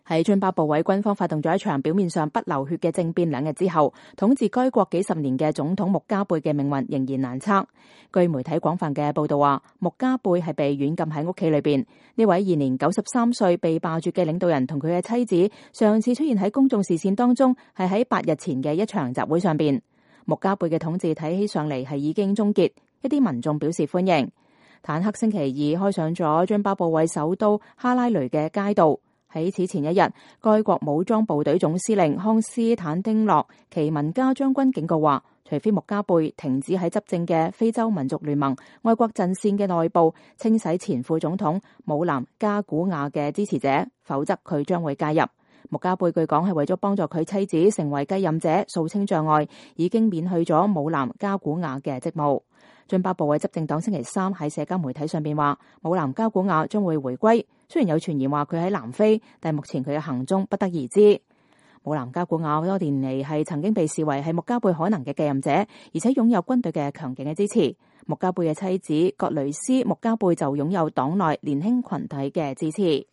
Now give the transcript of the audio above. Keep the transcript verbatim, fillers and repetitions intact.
喺津巴布韋軍方發動咗一場表面上不流血嘅政變兩日之後，統治該國幾十年嘅總統穆加貝嘅命運仍然難測。據媒體廣泛嘅報道話，穆加貝係被軟禁喺屋企裏邊。呢位現年九十三歲被罷黜嘅領導人同佢嘅妻子上次出現喺公眾視線當中係喺八日前嘅一場集會上邊。穆加貝嘅統治睇起上嚟係已經終結，一啲民眾表示歡迎。坦克星期二開上咗津巴布韋首都哈拉雷嘅街道。喺此前一日，該國武裝部隊總司令康斯坦丁諾奇文加將軍警告話，除非穆加貝停止喺執政嘅非洲民族聯盟愛國陣線嘅內部清洗前副總統姆南加古亞嘅支持者，否則佢將會介入。穆加貝據講係為咗幫助佢妻子成為繼任者掃清障礙，已經免去咗姆南加古亞嘅職務。津巴布韋執政黨星期三喺社交媒體上邊話，姆南加古亞將會回歸。雖然有傳言話佢喺南非，但目前佢嘅行蹤不得而知。姆南加古亞多年嚟係曾經被視為係穆加貝可能嘅繼任者，而且擁有軍隊嘅強勁嘅支持。穆加貝嘅妻子葛雷斯穆加貝就擁有黨內年輕群體嘅支持。